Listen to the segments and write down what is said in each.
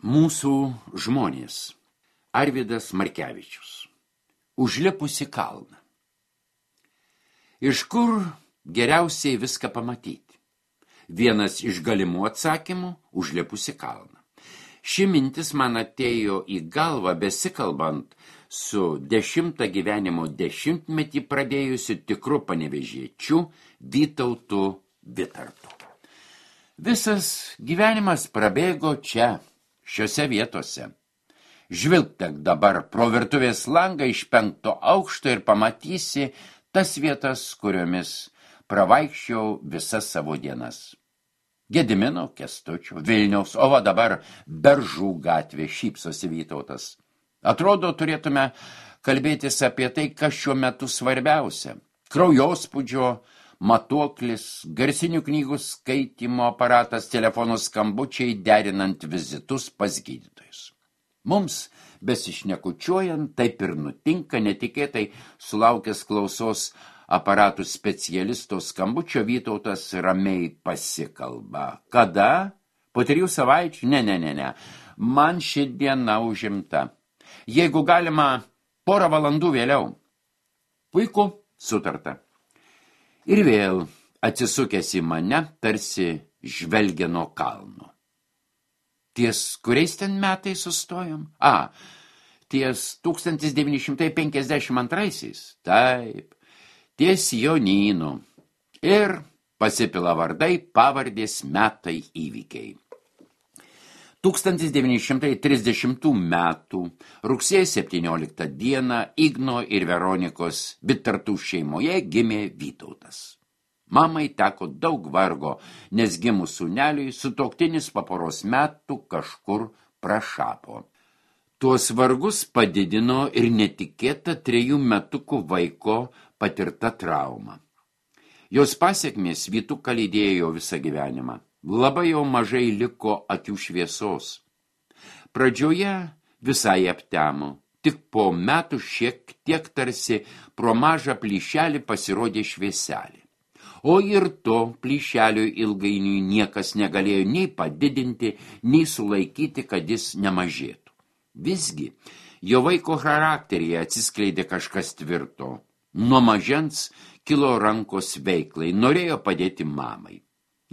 Mūsų žmonės. Arvydas Markevičius. Užlipusi kalną. Iš kur geriausiai viską pamatyti? Vienas iš galimų atsakymų – užlipusi kalną. Ši mintis man atėjo į galvą besikalbant su 10 gyvenimo dešimtmetį pradėjusiu tikru panevėžiečiu Vytautu Vitartu. Visas gyvenimas prabėgo čia, šiose vietose. Žvilgtek dabar pro virtuvės langą iš 5. aukšto ir pamatysi tas vietas, kuriomis pravaikščiau visas savo dienas. Gedimino, Kęstučio, Vilniaus, o va dabar Beržų gatvė, šypsosi Vytautas. Atrodo, turėtume kalbėtis apie tai, kas šiuo metu svarbiausia. Kraujospūdžio matuoklis, garsinių knygų skaitymo aparatas, telefonų skambučiai, derinant vizitus pas gydytojus. Mums, besišnekučiuojant, taip ir nutinka, netikėtai sulaukęs klausos aparatų specialisto skambučio, Vytautas ramiai pasikalba. Kada? Po 3 savaičių? Ne. Man ši diena užimta. Jeigu galima, 1 valandų vėliau. Puiku, sutarta. Ir vėl atsisukęs į mane, tarsi žvelgia nuo kalno. Ties kuriais ten metais sustojom? Ties 1952. Taip, ties Jonynu. Ir pasipila vardai, pavardės, metai, įvykiai. 1930 metų rugsėjo 17 dieną Igno ir Veronikos Vitartų šeimoje gimė Vytautas. Mamai teko daug vargo, nes gimus sūneliui sutuoktinis po poros metų kažkur prašapo. Tuos vargus padidino ir netikėta 3 metukų vaiko patirta trauma. Jos pasekmės Vytuką lydėjo visą gyvenimą. Labai jau mažai liko akių šviesos. Pradžioje visai aptemo, tik po metų šiek tiek tarsi pro mažą plyšelį pasirodė švieselė. O ir to plyšelio ilgainiui niekas negalėjo nei padidinti, nei sulaikyti, kad jis nemažėtų. Visgi, jo vaiko charakteryje atsiskleidė kažkas tvirto. Nuo mažens kilo rankos veiklai, norėjo padėti mamai.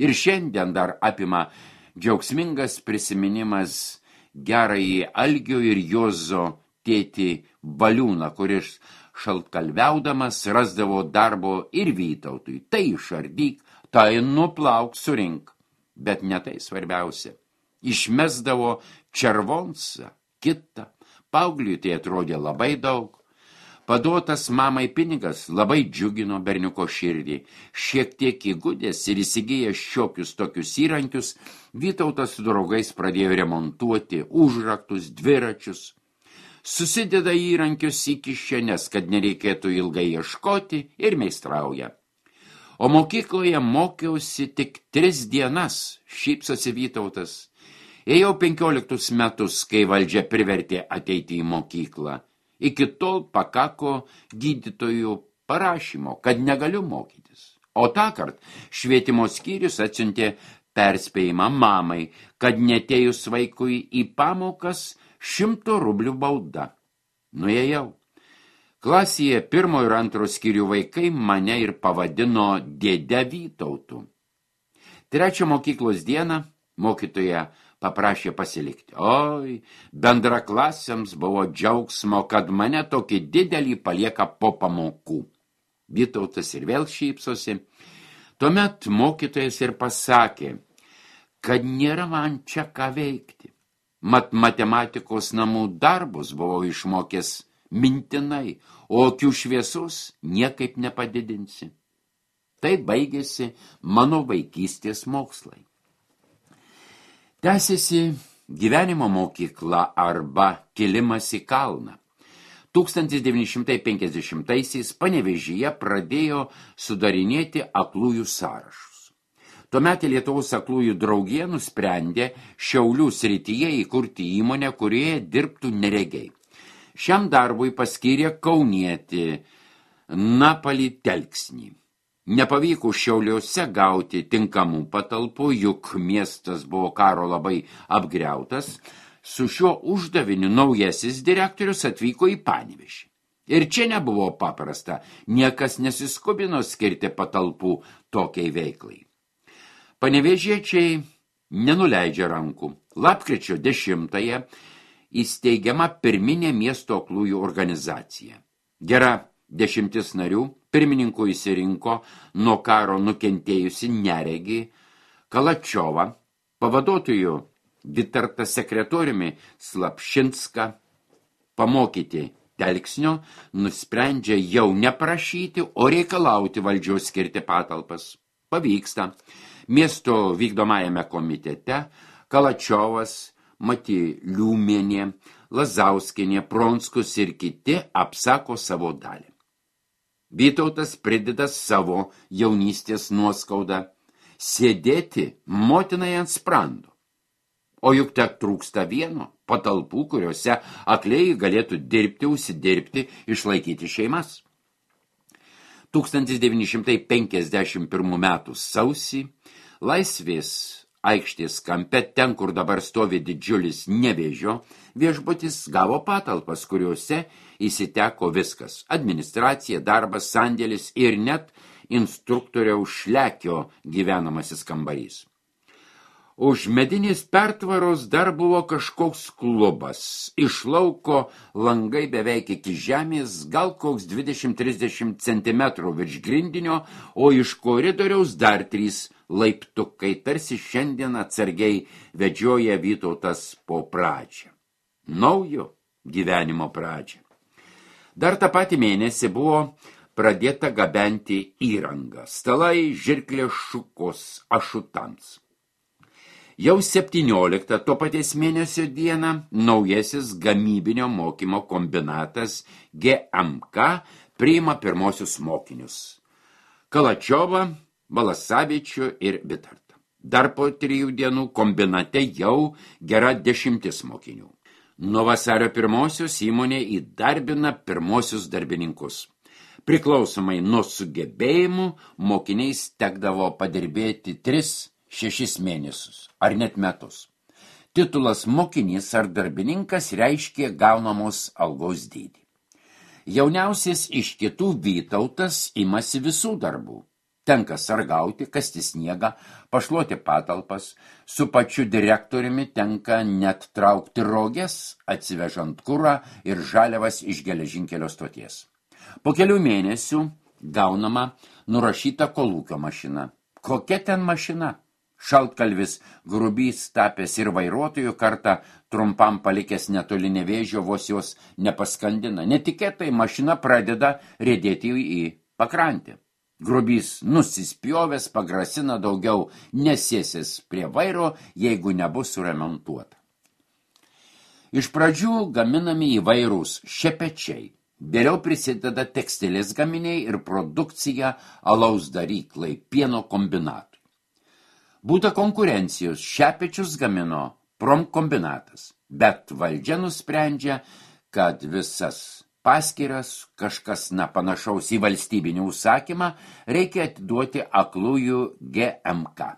Ir šiandien dar apima džiaugsmingas prisiminimas gerąjį Algio ir Juozo tėtį Valiūną, kuris šaltkalviaudamas rasdavo darbo ir Vytautui. Tai išardyk, tai nuplauk, surink. Bet ne tai svarbiausia. Išmesdavo červonsą, kitą. Paaugliui tai atrodė labai daug. Paduotas mamai pinigas labai džiugino berniuko širdį. Šiek tiek įgudęs ir įsigijęs šiokius tokius įrankius, Vytautas su draugais pradėjo remontuoti užraktus, dviračius. Susideda įrankius į kišenes, kad nereikėtų ilgai ieškoti, ir meistrauja. O mokykloje mokiausi tik 3 dienas, šypsosi Vytautas. Ėjau 15 metus, kai valdžia privertė ateiti į mokyklą. Iki tol pakako gydytojų parašymo, kad negaliu mokytis. O tąkart švietimo skyrius atsiuntė perspėjimą mamai, kad netėjus vaikui į pamokas 100 rublių bauda. Nuėjau. Klasėje 1 ir 2 skyrių vaikai mane ir pavadino dėde Vytautu. 3 mokyklos dieną mokytoja paprašė pasilikti. Oi, bendraklasiams buvo džiaugsmo, kad mane tokį didelį palieka po pamokų. Vytautas ir vėl šypsosi. Tuomet mokytojas ir pasakė, kad nėra man čia ką veikti. Mat matematikos namų darbus buvau išmokęs mintinai, o akių šviesos niekaip nepadidinsi. Tai baigėsi mano vaikystės mokslai. Tęsiasi gyvenimo mokykla arba kilimas į kalną. 1950-aisiais Panevėžyje pradėjo sudarinėti aklųjų sąrašus. Tuomet Lietuvos aklųjų draugija nusprendė Šiaulių srityje įkurti įmonę, kurioje dirbtų neregiai. Šiam darbui paskyrė kaunietį Napalį Telksnį. Nepavyko Šiauliuose gauti tinkamų patalpų, juk miestas buvo karo labai apgriautas. Su šiuo uždaviniu naujasis direktorius atvyko į Panevėžį. Ir čia nebuvo paprasta, niekas nesiskubino skirti patalpų tokiai veiklai. Panevėžiečiai nenuleidžia rankų. Lapkričio 10-ąją įsteigiama pirminė miesto aklųjų organizacija. Gera 10 narių pirmininku įsirinko nuo karo nukentėjusi neregį Kalačiovą, pavaduotojų Vitartą sekretoriumi Slapšinską, pamokyti Telksnio, nusprendžia jau neprašyti, o reikalauti valdžios skirti patalpas. Pavyksta. Miesto vykdomajame komitete Kalačiovas, Matyliūmienė, Lazauskienė, Pronskus ir kiti apsako savo dalį. Vytautas prideda savo jaunystės nuoskaudą sėdėti motinai ant sprando. O juk tek trūksta vieno patalpų, kuriuose akliai galėtų dirbti, užsidirbti, išlaikyti šeimas. 1951 metų sausį Laisvės aikštės kampe, ten, kur dabar stovi didžiulis Nevėžio viešbutis, gavo patalpas, kuriuose įsiteko viskas – administracija, darbas, sandėlis ir net instruktoriaus Šlekio gyvenamasis kambarys. Už medinės pertvaros dar buvo kažkoks klubas. Iš lauko langai beveik iki žemės, gal koks 20-30 cm virš grindinio, o iš koridoriaus dar 3 laiptukai, tarsi šiandien atsargiai vedžioja Vytautas po pradžią. Naujo gyvenimo pradžią. Dar tą patį mėnesį buvo pradėta gabenti įrangą. Stalai, žirklės, šukos, ašutams. Jau 17 to paties mėnesio dieną naujasis gamybinio mokymo kombinatas GMK priima pirmosius mokinius – Kalačiovą, Balasavičių ir Vitartą. Dar po 3 dienų kombinate jau gera 10 mokinių. Nuo vasario 1-osios įmonė įdarbina pirmosius darbininkus. Priklausomai nuo sugebėjimų mokiniais tekdavo padirbėti 3-6 mėnesius, ar net metus. Titulas mokinys ar darbininkas reiškė gaunamos algos dydį. Jauniausias iš kitų Vytautas imasi visų darbų. Tenka sargauti, kasti sniegą, pašluoti patalpas, su pačiu direktoriumi tenka net traukti roges, atsivežant kurą ir žaliavas iš geležinkelio stoties. Po kelių mėnesių gaunama nurašyta kolūkio mašina. Kokia ten mašina? Šaltkalvis Grubys tapęs ir vairuotojų kartą trumpam palikęs netoli Nevėžio, vos jos nepaskandina. Netikėtai mašina pradeda riedėti į pakrantę. Grubys nusispjovęs pagrasina daugiau nesėsis prie vairo, jeigu nebus suremontuota. Iš pradžių gaminami įvairūs šepečiai. Vėliau prisideda tekstilės gaminiai ir produkcija alaus daryklai, pieno kombinatui. Būta konkurencijos, šepečius gamino Promkombinatas, bet valdžia nusprendžia, kad visas paskiras, kažkas panašaus į valstybinį užsakymą, reikia atiduoti aklųjų GMK.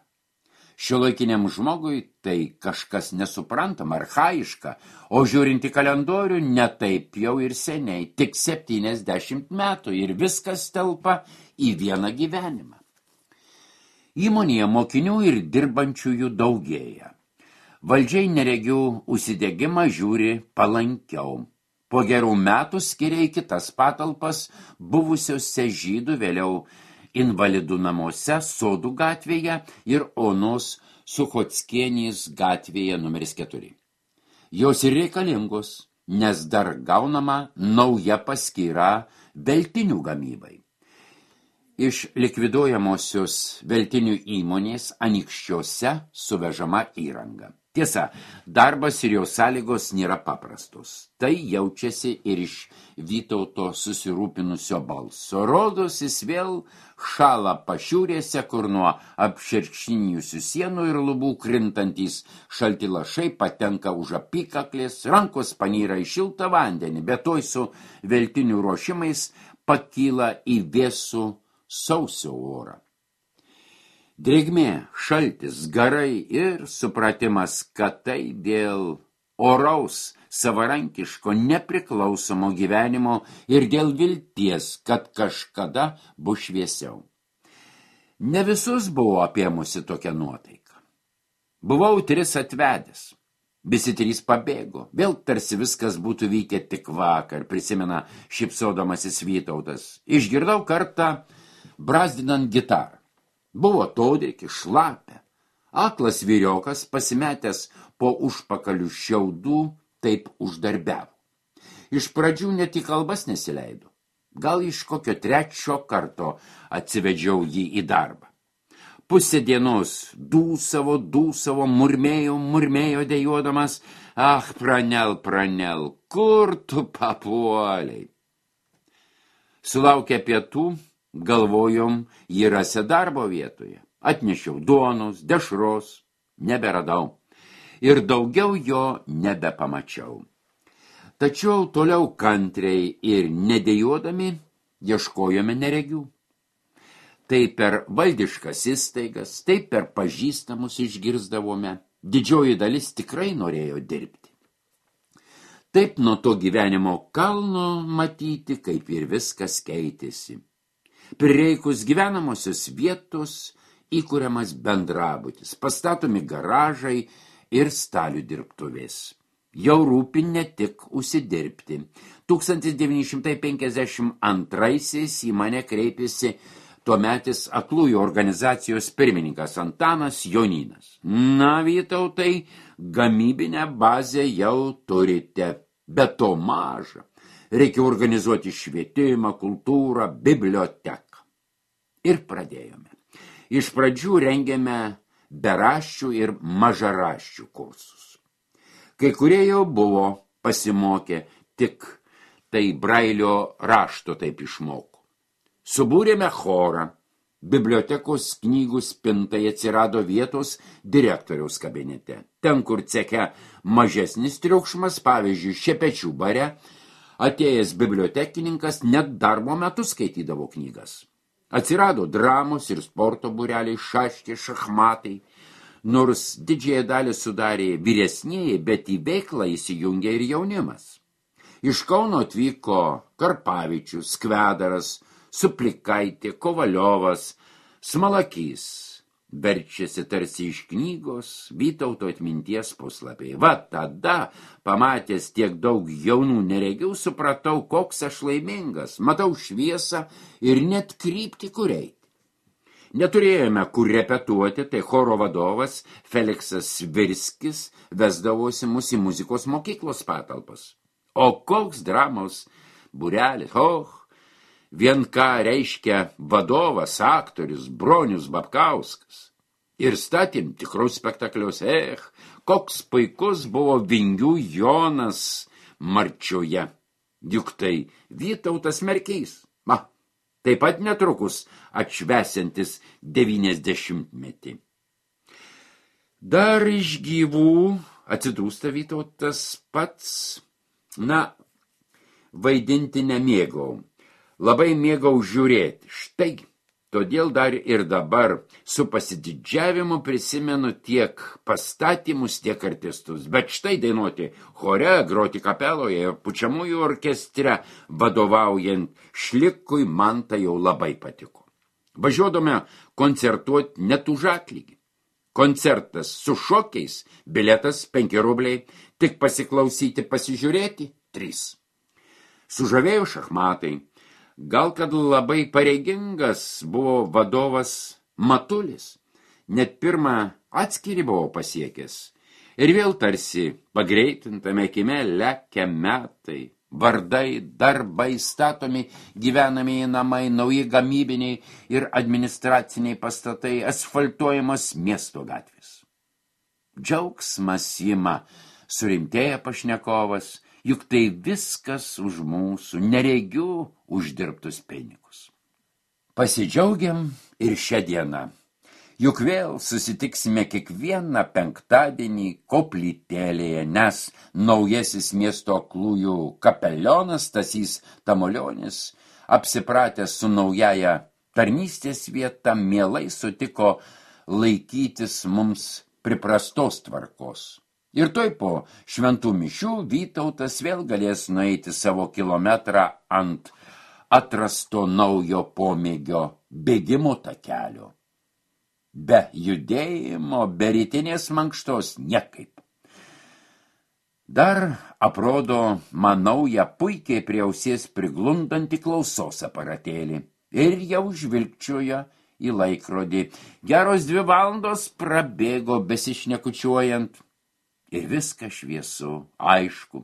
Šiuolaikiniam žmogui tai kažkas nesuprantama, archaiška, o žiūrint į kalendorių netaip jau ir seniai, tik 70 metų ir viskas telpa į vieną gyvenimą. Įmonėje mokinių ir dirbančiųjų daugėja. Valdžiai neregių užsidegimą žiūri palankiau. Po gerų metų skiria į kitas patalpas buvusiose Žydų, vėliau invalidų namuose, Sodų gatvėje ir Onos Suchockienės gatvėje numeris 4. Jos ir reikalingos, nes dar gaunama nauja paskyra veltinių gamybai. Iš likviduojamosios veltinių įmonės Anykščiuose suvežama įranga. Tiesa, darbas ir jo sąlygos nėra paprastos. Tai jaučiasi ir iš Vytauto susirūpinusio balso. Rodos jis vėl šala pašiūrėse, kur nuo apšerkšnijusių sienų ir lubų krintantys šalti lašai patenka už apykaklės, rankos panyra į šiltą vandenį, bet toj su veltinių ruošimais pakyla į vėsų sausio orą. Drėgmė, šaltis, garai ir supratimas, kad tai dėl oraus, savarankiško, nepriklausomo gyvenimo ir dėl vilties, kad kažkada bus šviesiau. Ne visus buvo apėmusi tokia nuotaika. Buvau 3 atvedęs. Visi 3 pabėgo. Vėl tarsi viskas būtų vykę tik vakar, prisimena šypsodamasis Vytautas. Išgirdau kartą brazdinant gitarą. Buvo todriki, šlapia. Aklas vyriokas, pasimetęs po užpakalių šiaudų, taip uždarbiavo. Iš pradžių net į kalbas nesileido. Gal iš kokio 3 karto atsivedžiau jį į darbą. Pusę dienos dūsavo, murmėjo dejuodamas, pranel, kur tu papuoliai? Sulaukę pietų, galvojom, jį rasi darbo vietoje. Atnešiau duonos, dešros, neberadau. Ir daugiau jo nebepamačiau. Tačiau toliau kantriai ir nedėjodami ieškojome neregių. Tai per valdiškas įstaigas, tai per pažįstamus išgirsdavome. Didžioji dalis tikrai norėjo dirbti. Taip nuo to gyvenimo kalno matyti, kaip ir viskas keitėsi. Prireikus gyvenamosios vietos įkuriamas bendrabutis, pastatomi garažai ir stalių dirbtuvės. Jau rūpi ne tik užsidirbti. 1952 į mane kreipėsi tuometis aklųjų organizacijos pirmininkas Antanas Jonynas. Na, Vytautai, gamybinę bazę jau turite, bet to maža. Reikia organizuoti švietimą, kultūrą, biblioteką. Ir pradėjome. Iš pradžių rengėme beraščių ir mažaraščių kursus. Kai kurie jau buvo pasimokę, tik tai Brailio rašto taip išmoko. Subūrėme chorą. Bibliotekos knygų spintai atsirado vietos direktoriaus kabinete. Ten, kur ceche mažesnis triukšmas, pavyzdžiui, Šepečių bare, atėjęs bibliotekininkas net darbo metu skaitydavo knygas. Atsirado dramos ir sporto būreliai, šaškė, šachmatai. Nors didžiąją dalį sudarė vyresnieji, bet į veiklą įsijungė ir jaunimas. Iš Kauno atvyko Karpavičius, Skvedaras, Suplikaitė, Kovaliovas, Smalakys. Verčiasi tarsi iš knygos Vytauto atminties puslapiai. Va tada, pamatęs tiek daug jaunų neregių, supratau, koks aš laimingas. Matau šviesą ir net kryptį, kur eiti. Neturėjome kur repetuoti, tai choro vadovas Feliksas Svirskis vesdavosi mus į muzikos mokyklos patalpas. O koks dramos būrelis, vien ką reiškia vadovas, aktorius Bronius Babkauskas. Ir statėm tikrus spektaklius, koks puikus buvo Vingių Jonas Marčioje. Juk tai Vytautas Merkys. Taip pat netrukus atšvesiantis 90-metį. Dar iš gyvų atsidūsta Vytautas pats, vaidinti nemėgau. Labai mėgau žiūrėti. Štai, todėl dar ir dabar su pasididžiavimu prisimenu tiek pastatymus, tiek artistus. Bet štai dainuoti chore, groti kapeloje ir pučiamųjų orkestre vadovaujant Šlikui man tai jau labai patiko. Važiuodome koncertuoti net už atlygį. Koncertas su šokiais, biletas 5 rubliai, tik pasiklausyti, pasižiūrėti 3. Sužavėjo šachmatai. Gal kad labai pareigingas buvo vadovas Matulis, net pirmą atskirį buvo pasiekęs. Ir vėl tarsi pagreitintame kime lekia metai, vardai, darbai, statomi gyvenamieji namai, nauji gamybiniai ir administraciniai pastatai, asfaltuojamos miesto gatvės. Džiaugsmas ima, surimtėja pašnekovas, juk tai viskas už mūsų neregių uždirbtus pinigus. Pasidžiaugiam ir šią dieną. Juk vėl susitiksime kiekvieną penktadienį koplytėlėje, nes naujasis miesto aklųjų kapelionas Stasys Tamulionis, apsipratęs su naujaja tarnystės vieta, mielai sutiko laikytis mums priprastos tvarkos. Ir toj po šventų mišių Vytautas vėl galės nueiti savo kilometrą ant atrasto naujo pomėgio bėgimo takelio. Be judėjimo, be rytinės mankštos niekaip. Dar aprodo man naują puikiai prie ausies priglundantį klausos aparatėlį ir jau žvilgčioja į laikrodį. Geros 2 valandos prabėgo besišnekučiuojant. Ir viskas šviesu, aišku.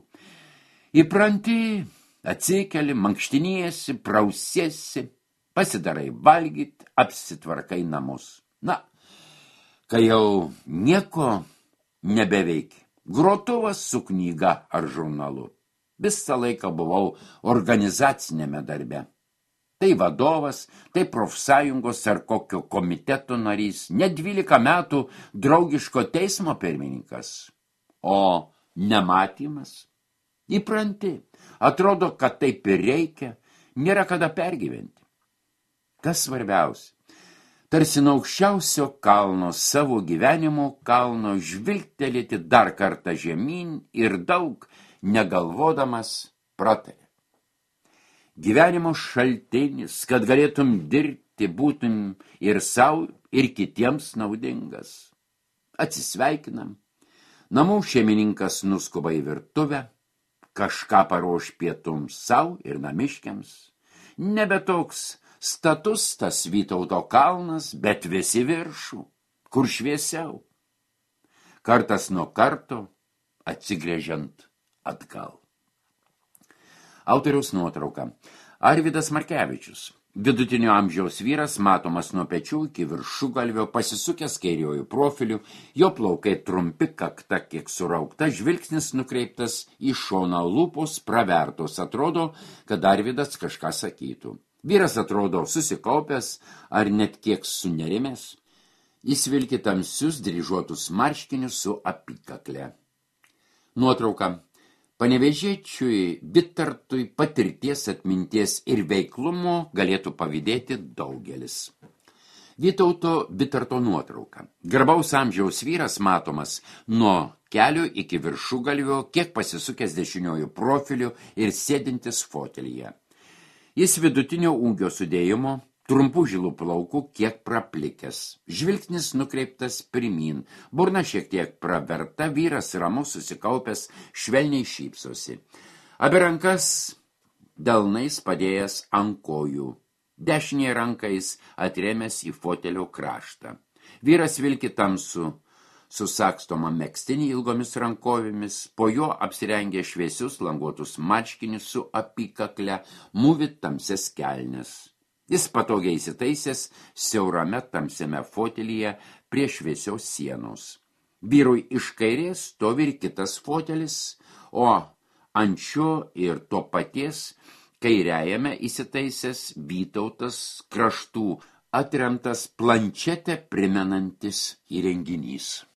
Įpranti, atsikeli, mankštiniesi, prausiesi, pasidarai valgyt, apsitvarkai namus. Na, kai jau nieko nebeveiki, grotuvas su knyga ar žurnalu. Visą laiką buvau organizacinėme darbe. Tai vadovas, tai profsąjungos ar kokio komiteto narys, ne 12 metų draugiško teismo pirmininkas. O nematymas? Įpranti, atrodo, kad taip ir reikia, nėra kada pergyventi. Kas svarbiausia? Tarsi nuo aukščiausio kalno, savo gyvenimo kalno, žvilgtelėti dar kartą žemyn ir daug negalvodamas pratarė. Gyvenimo šaltinis, kad galėtum dirbti, būtum ir savo, ir kitiems naudingas. Atsisveikinam. Namų šeimininkas nuskuba į virtuvę, kažką paruoš pietums savo ir namiškiams. Nebe toks status tas Vytauto kalnas, bet visi viršų, kur šviesiau. Kartas nuo karto atsigręžiant atgal. Autoriaus nuotrauka. Arvydas Markevičius. Vidutinio amžiaus vyras, matomas nuo pečių iki viršugalvio, pasisukęs kairiuoju profiliu, jo plaukai trumpi, kakta kiek suraukta, žvilgsnis nukreiptas į šoną, lūpos pravertos, atrodo, kad Arvydas kažką sakytų. Vyras atrodo susikaupęs ar net kiek sunerimęs. Jis vilki tamsius dryžuotus marškinius su apykakle. Nuotrauka. Panevėžiečiui Bitartui patirties, atminties ir veiklumo galėtų pavydėti daugelis. Vytauto Bitarto nuotrauka. Garbaus amžiaus vyras matomas nuo kelio iki viršugalvio, kiek pasisukęs dešiniojų profiliu ir sėdintis fotelyje. Jis vidutinio ūgio sudėjimo, trumpų žilų plaukų, kiek praplikęs. Žvilgsnis nukreiptas pirmyn, burna šiek tiek praverta, vyras ramus susikaupęs, švelniai šypsosi. Abi rankas delnais padėjęs ant kojų, dešinėje rankais atrėmęs į fotelio kraštą. Vyras vilki tamsų, susakstomą megztinį ilgomis rankovėmis, po jo apsirengė šviesius languotus marškinius su apykakle, mūvi tamsias kelnes. Jis patogiai įsitaisęs siaurame tamsiame fotelyje prie šviesios sienos. Vyrui iš kairės stovi ir kitas fotelis, o ant šio ir to paties kairiajame įsitaisęs Vytautas kraštų atremtas plančetę primenantis įrenginys.